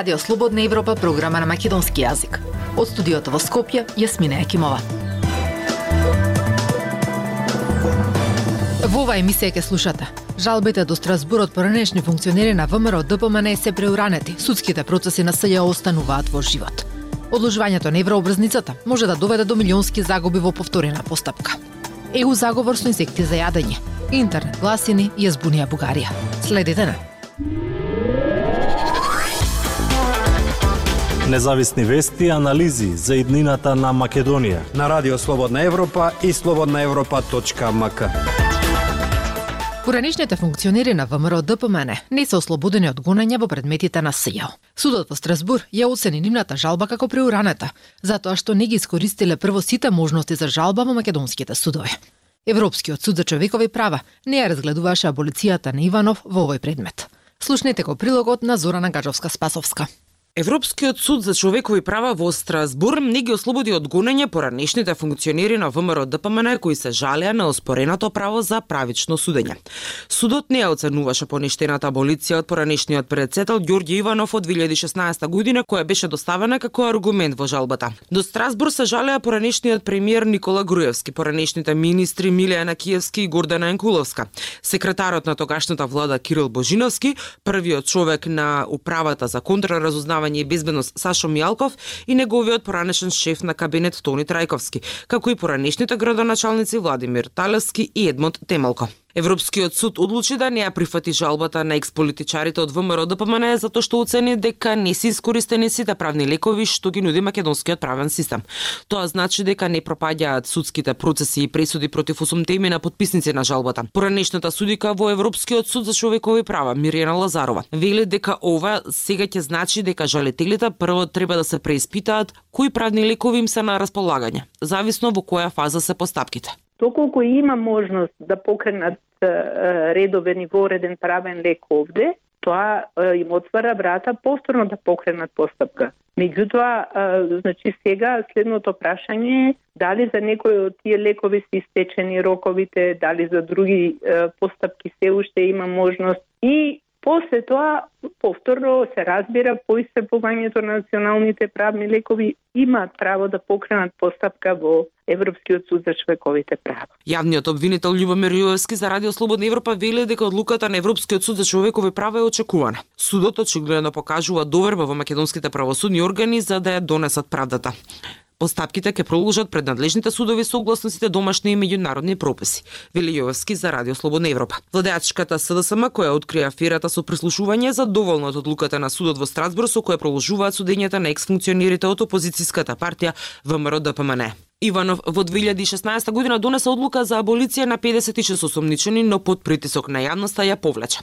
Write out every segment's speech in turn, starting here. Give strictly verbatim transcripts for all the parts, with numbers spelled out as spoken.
Радио Слободна Европа, програма на македонски јазик. Од студиото во Скопје, Јасмина Екимова. Во оваа емисија ќе слушате: жалбите до Страсбур од поранешни функционери на ВМРО ДПМН се преуранети, судските процеси на СЈО остануваат во живот. Одложувањето на еврообврзницата може да доведе до милионски загуби во повторена постапка. Е У заговор со инсекти за јадење. Интернет гласини ја збунија Бугарија. Следете на Независни вести и анализи за иднината на Македонија на Радио Слободна Европа и слободна европа точка ем ка. Поранешните функционери на ВМРО ДПМН не се ослободени од гонење во предметите на СЈО. Судот во Страсбур ја оцени нивната жалба како преуранета, затоа што не ги искористиле прво сите можности за жалба во македонските судови. Европскиот суд за човекови права не ја разгледуваше аболицијата на Иванов во овој предмет. Слушнете го прилогот на Зорана Гаджовска-Спасовска. Европскиот суд за човекови права во Страсбур не ги ослободи од гонење поранешните функционери на ВМРО ДПМН кои се жалеа на оспореното право за правично судење. Судот не ја оценуваше поништената аболиција од поранешниот председател Ѓорѓе Иванов од две илјади и шеснаесета година, која беше доставена како аргумент во жалбата. До Страсбур се жалеа поранешниот премиер Никола Груевски, поранешните министри Милијана Киевски и Гордана Јанкуловска, секретарот на тогашната влада Кирил Божиновски, првиот човек на управата за контраразузнавање и безбедност Сашо Мијалков и неговиот поранешен шеф на кабинет Тони Трајковски, како и поранешните градоначалници Владимир Талевски и Едмонд Темелко. Европскиот суд одлучи да не ја прифати жалбата на експолитичарите од ВМРО ДПМН затоа што оцени дека не се искористени сите правни лекови што ги нуди македонскиот правен систем. Тоа значи дека не пропаѓаат судските процеси и пресуди против осумте имена потписници на жалбата. Поранешната судика во Европскиот суд за човекови права Миријана Лазарова вели дека ова сега ќе значи дека жалителите прво треба да се преиспитаат кои правни лекови им се на располагање, зависно во која фаза се постапките. Доколку има можност да покренат редовен и вореден правен лек овде, тоа им отвара врата повторно да покренат постапка. Меѓутоа, значи сега следното прашање е дали за некои од тие лекови се истечени роковите, дали за други постапки се уште има можност и после тоа повторно се разбира по исцрпувањето на националните правни лекови имаат право да покренат постапка во Европскиот суд за човековите права. Јавниот обвинител Љубомир Јовевски за Радио Слободна Европа вели дека одлуката на Европскиот суд за човекови права е очекувана. Судот очигледно покажува доверба во македонските правосудни органи за да ја донесат правдата. Постапките ќе продолжат пред надлежните судови согласно сите домашни и меѓународни прописи, вели Јовевски за Радио Слободна Европа. Владеачката СДСМ која открија аферата со прислушување задоволна од одлуката на судот во Страсбур со која продолжуваат судењата на ексфункционерите од опозицијската партија ВМРО ДПМН. Иванов во две илјади и шеснаесета година донесе одлука за аболиција на педесет и шест осомничени, но под притисок на јавноста ја повлече.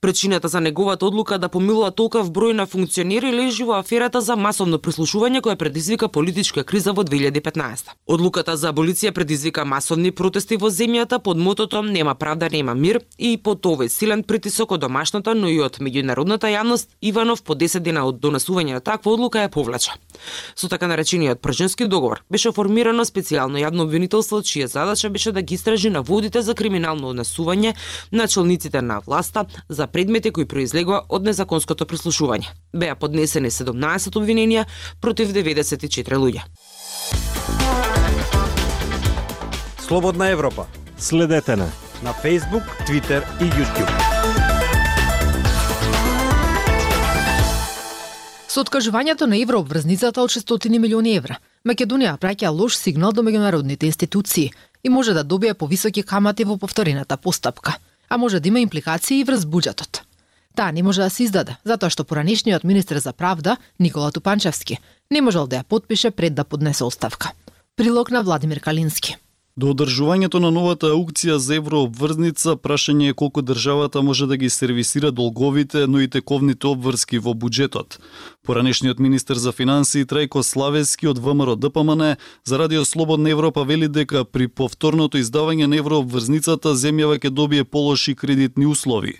Причината за неговата одлука да помилува толков број на функционери лежи во аферата за масовно прислушување која предизвика политичка криза во две илјади и петнаесета. Одлуката за аболиција предизвика масовни протести во земјата под мотото "Нема правда, нема мир" и под овој силен притисок од домашната, но и од меѓународната јавност, Иванов по десет дена од донесување на таква одлука ја повлече. Со така наречениот прженски договор беше формирано специјално јавно обвинителство, чија задача беше да ги истражи наводите за криминално однесување на челниците на власта за предмети кои произлегува од незаконското прислушување. Беа поднесени седумнаесет обвиненија против деветдесет и четири луѓе. Слободна Европа. Следете на на Facebook, Twitter и YouTube. Со откажувањето на еврообврзницата од шестстотини милиони евра, Македонија праќа лош сигнал до меѓународните институции и може да добие повисоки камати во повторената постапка, а може да има импликации и врз буџетот. Таа не може да се издаде, затоа што поранешниот министер за правда, Никола Тупанчевски, не можел да ја потпише пред да поднесе оставка. Прилог на Владимир Калински. До одржувањето на новата аукција за еврообврзница, прашање е колку државата може да ги сервисира долговите, но и тековните обврски во буџетот. Поранешниот министер за финансии Трајко Славески од ВМРО ДПМН за Радио Слободна Европа вели дека при повторното издавање на еврообврзницата земјава ќе добие полоши кредитни услови.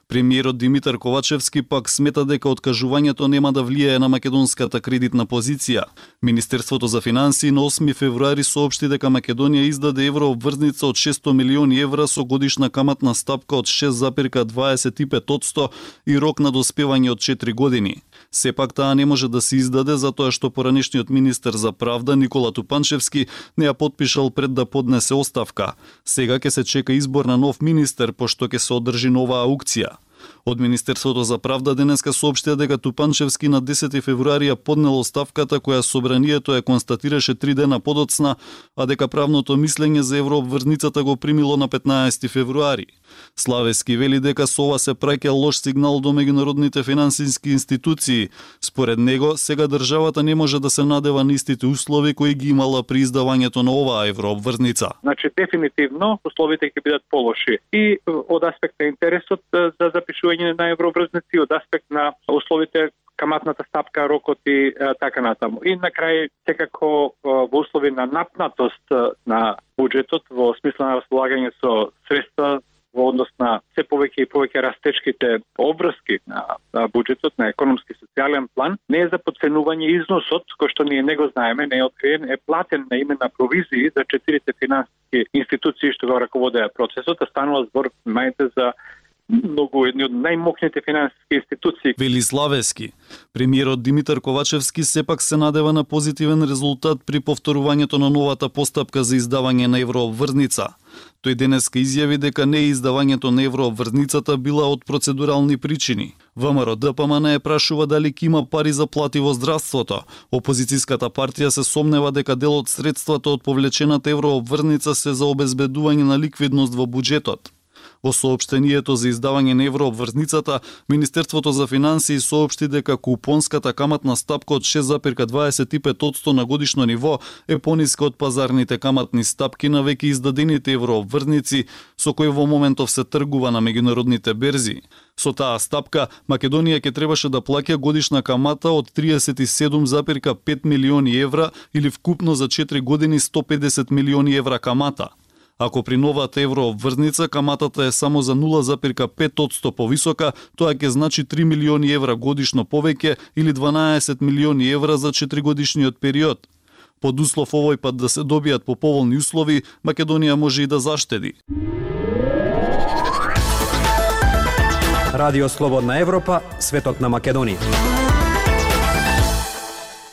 Премиерот Димитар Ковачевски пак смета дека откажувањето нема да влијае на македонската кредитна позиција. Министерството за финансии на осми февруари соопшти дека Македонија издаде еврообврзница од шестстотини милиони евра со годишна каматна стапка од шест зарез дваесет и пет одсто и рок на доспевање од четири години. Сепак таа не може да се издаде затоа што поранешниот министер за правда Никола Тупанчевски не ја потпишал пред да поднесе оставка. Сега ќе се чека избор на нов министер пошто ќе се одржи нова аукција. Од Министерството за правда денеска соопштија дека Тупанчевски на десети февруари ја поднел оставката која собранието ја констатираше три дена подоцна, а дека правното мислење за еврообврзницата го примило на петнаесети февруари. Славески вели дека со ова се праќа лош сигнал до меѓународните финансиски институции. Според него, сега државата не може да се надева на истите услови кои ги имала при издавањето на оваа еврообврзница. Значи дефинитивно условите ќе бидат полоши и од аспект на интересот за запишување на еврообврзници, од аспект на условите, каматната стапка, рокот и така натаму. И на крај секако во услови на напнатост на буџетот во смисла на располагање со средства во однос на се повеќе и повеќе растечките обврски на, на буџетот, на економски и социјален план, не е за подценување износот, кој што ние не го знаеме, не е откриен, е платен на име на провизии за четирите финансиски институции што го раководеа процесот, а станува збор, мајте, за многу едни од најмокните финансиски институции. Вели Славески. Премиерот Димитар Ковачевски сепак се надева на позитивен резултат при повторувањето на новата постапка за издавање на еврообврзница. Тој денеска изјави дека не издавањето на еврообврзницата била од процедурални причини. ВМРО Д П М Н е прашува дали ќе има пари за плати во здравството. Опозицијската партија се сомнева дека дел од средствата од повлечената еврообврзница се за обезбедување на ликвидност во буџетот. Во соопштението за издавање на еврообврзницата, Министерството за финансии соопшти дека купонската каматна стапка од шест зарез дваесет и пет одсто на годишно ниво е пониска од пазарните каматни стапки на веќе издадените еврообврзници со кои во моментов се тргува на меѓународните берзи. Со таа стапка, Македонија ќе требаше да плаќа годишна камата од триесет и седум зарез пет милиони евра или вкупно за четири години сто педесет милиони евра камата. Ако при новата еврообврзница каматата е само за нула зарез пет одсто повисока, тоа ќе значи три милиони евра годишно повеќе или дванаесет милиони евра за четиригодишниот период. Под услов овој пат да се добијат по поволни услови, Македонија може и да заштеди. Радио Слободна Европа, светот на Македонија.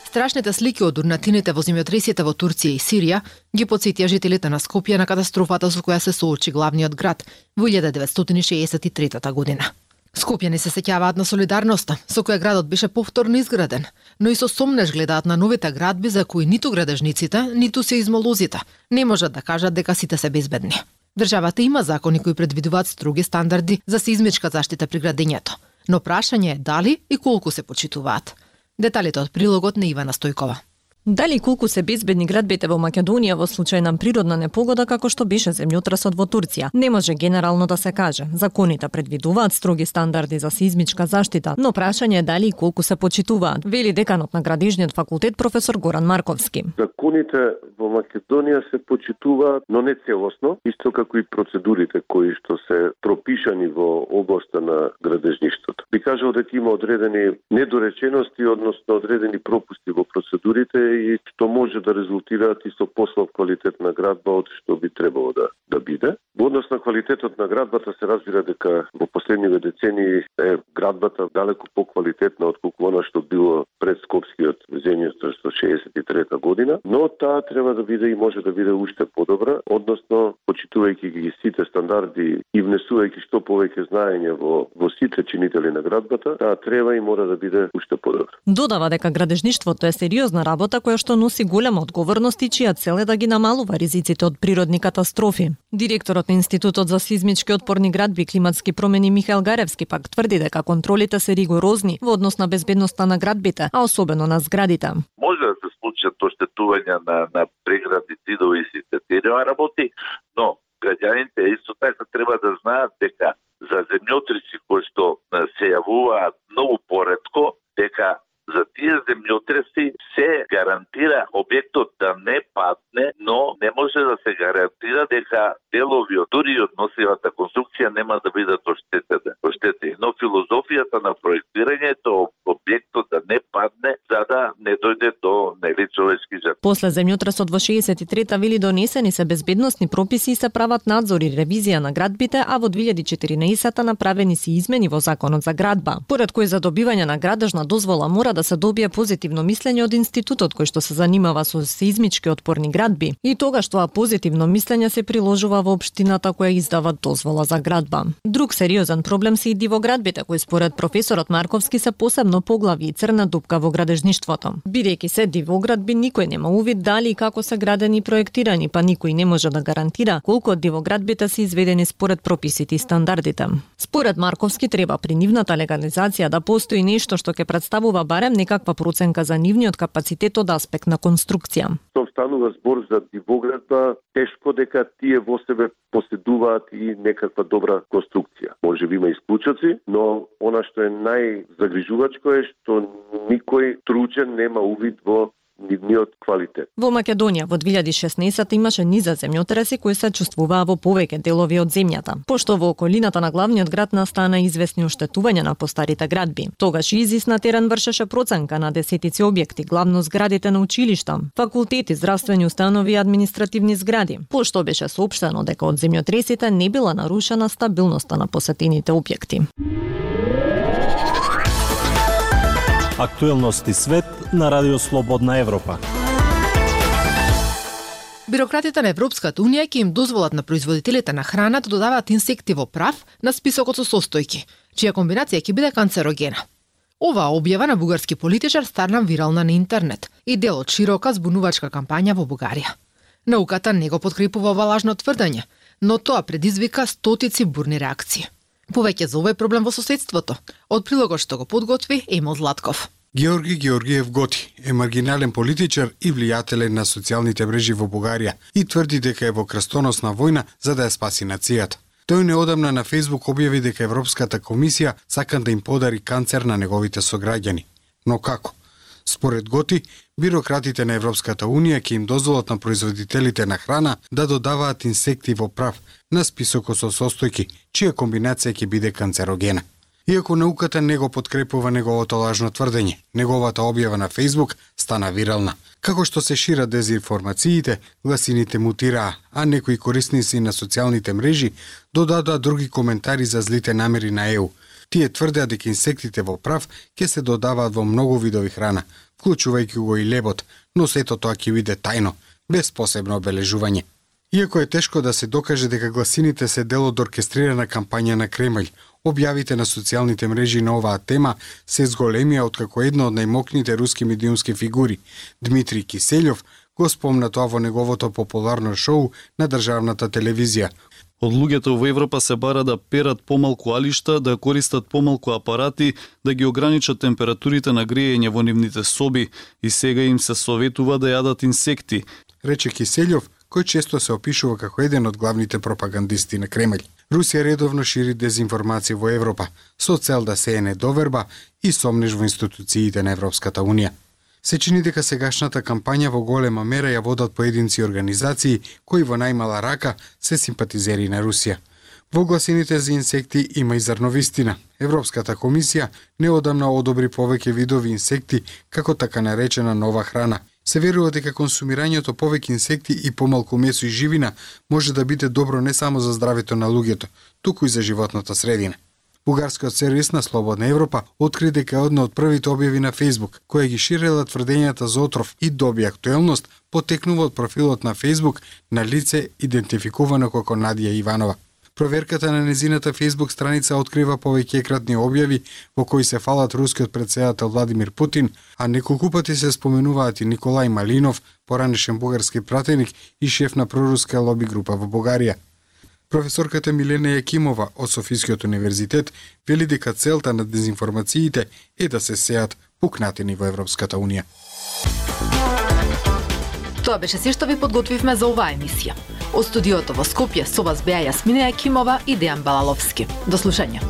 Страшните слики од урнатините во земјотресите во Турција и Сирија ги потсетија жителите на Скопје на катастрофата со која се соочи главниот град во илјада деветстотини шеесет и трета година. Скопјани се сеќаваат на солидарноста со која градот беше повторно изграден, но и со сомнеж гледаат на новите градби за кои ниту градежниците, ниту се измолозите не можат да кажат дека сите се безбедни. Државата има закони кои предвидуваат строги стандарди за сеизмичка заштита при градењето, но прашање е дали и колку се почитуваат. Деталите од прилогот на Ивана Стојкова. Дали колку се безбедни градбите во Македонија во случај на природна непогода како што беше земјотресот во Турција, не може генерално да се каже. Законите предвидуваат строги стандарди за сеизмичка заштита, но прашање е дали и колку се почитуваат, вели деканот на Градежниот факултет професор Горан Марковски. Законите во Македонија се почитуваат, но не целосно, исто како и процедурите кои што се пропишани во областа на градежништвото. Би кажал дека има одредени недоречености, односно одредени пропусти во процедурите и што може да резултираат и со послаб квалитет на градба од што би требало да да биде. Во однос на квалитетот на градбата се разбира дека во последниве децении е градбата далеку поквалитетна отколку она што било пред Скопскиот земјотрес во шеесет и трета година, но таа треба да биде и може да биде уште подобра, односно почитувајќи ги сите стандарди и внесувајќи што повеќе знаење во во сите чинители на градбата, таа треба и мора да биде уште подобра. Додава дека градежништвото е сериозна работа која што носи голема одговорност и чија цел е да ги намалува ризиците од природни катастрофи. Директорот на Институтот за сеизмички отпорни градби и климатски промени Михаел Гаревски пак тврди дека контролите се ригорозни во однос на безбедноста на градбите, а особено на зградите. Може да се случат оштетувања на на прегради, зидови и сите тие работи, но граѓаните исто така треба да знаат дека за земјотреси кои што се јавуваат многу поретко, дека за тие земјотреси се гарантира објектот да не падне, но не може да се гарантира дека делови од дури од носивата конструкција нема да бидат оштетени. Но филозофијата на проектирањето објектот да не падне за да не дојде до нели човечки жртви. После земјотресот во шеесет и трета вели донесени се безбедносни прописи и се прават надзор и ревизија на градбите, а во две илјади и четиринаесета направени се измени во Законот за градба, поред кои за добивање на градежна дозвола мора да се добие позитивно мислење од институтот кој што се занимава со сеизмички отпорни градби. И тогаш тоа позитивно мислење се приложува во општината која издава дозвола за градба. Друг сериозен проблем се и дивоградбите, кои според професорот Марковски се посебно поглави и црна дупка во градежништвото. Бидејќи се дивоградби, никој нема увид дали и како се градени и проектирани, па никој не може да гарантира колку од дивоградбите се изведени според прописите и стандардите. Според Марковски треба при нивната легализација да постои нешто што ќе представува барем некаква проценка за нивниот капацитет од аспект на конструкција. Тоа станува збор за дивоградба, тешко дека тие во себе поседуваат и некаква добра конструкција. Може би има исклучоци, но она што е најзагрижувачко е што никој тручен нема увид во нивниот квалитет. Во Македонија во две илјади и шеснаесета имаше низа земјотреси кои се чувствуваа во повеќе делови од земјата, пошто во околината на главниот град настана известни оштетувања на постарите градби. Тогаш ИЗИС на терен вршеше проценка на десетици објекти, главно зградите на училишта, факултети, здравствени установи и административни згради, пошто беше соопштено дека од земјотресите не била нарушена стабилноста на посетените објекти. Актуелности свет на Радио Слободна Европа. Бирократите на Европската унија ќе им дозволат на производителите на храна да додаваат инсекти во прав на списокот со состојки, чија комбинација ќе биде канцерогена. Оваа објава на бугарски политичар станна вирална на интернет и дел од широка збунувачка кампања во Бугарија. Науката не го подкрепува ова лажно тврдење, но тоа предизвика стотици бурни реакции. Повеќе за овој проблем во соседството, од прилогот што го подготви Емил Златков. Георги Георгиев Готи е маргинален политичар и влијателен на социјалните мрежи во Бугарија и тврди дека е во крстоносна војна за да ја спаси нацијата. Тој неодамна на Фејсбук објави дека Европската комисија сака да им подари канцер на неговите сограѓани. Но како? Според Готи, бирократите на Европската унија ќе им дозволат на производителите на храна да додаваат инсекти во прав на списокот со состојки, чија комбинација ќе биде канцерогена. Иако науката не го подкрепува неговото лажно тврдење, неговата објава на Фејсбук стана вирална. Како што се шират дезинформациите, гласините мутираа, а некои корисници на социјалните мрежи додадоа други коментари за злите намери на ЕУ. Тие тврдеа дека инсектите во прав ќе се додаваат во многу видови храна, вклучувајќи го и лебот, но сето тоа ќе биде тајно, без посебно обележување. Иако е тешко да се докаже дека гласините се дел од оркестрирана кампања на Кремљ, објавите на социјалните мрежи на оваа тема се зголемија откако една од најмокните руски медиумски фигури, Дмитрий Киселјов, го спомна тоа во неговото популарно шоу на државната телевизија. Од луѓето во Европа се бара да перат помалку алишта, да користат помалку апарати, да ги ограничат температурите на грејење во нивните соби и сега им се советува да јадат инсекти, рече Киселјов, кој често се опишува како еден од главните пропагандисти на Кремљ. Русија редовно шири дезинформација во Европа, со цел да сее недоверба и сомнеж во институциите на Европската унија. Се чини дека сегашната кампања во голема мера ја водат поединци организации кои во најмала рака се симпатизери на Русија. Во гласините за инсекти има и зрно вистина. Европската комисија неодамна одобри повеќе видови инсекти како така наречена нова храна. Се верува дека консумирањето повеќе инсекти и помалку месо и живина може да биде добро не само за здравето на луѓето, туку и за животната средина. Бугарскиот сервис на Слободна Европа откри дека е една од првите објави на Фејсбук, која ги ширела тврдењата за отров и доби актуелност, потекнува од профилот на Фејсбук на лице идентификувано како Надија Иванова. Проверката на незината Фејсбук страница открива повеќе екратни објави во кои се фалат рускиот претседател Владимир Путин, а неколку пати се споменуваат и Николај Малинов, поранешен бугарски пратеник и шеф на проруска лоби група во Бугарија. Професорката Милена Јакимова од Софискиот универзитет вели дека целта на дезинформациите е да се сеат пукнатини во Европската унија. Тоа беше се што ви подготвивме за оваа емисија. Од студиото во Скопје со вас беа Јасмина Јакимова и Дејан Балаловски. До слушање.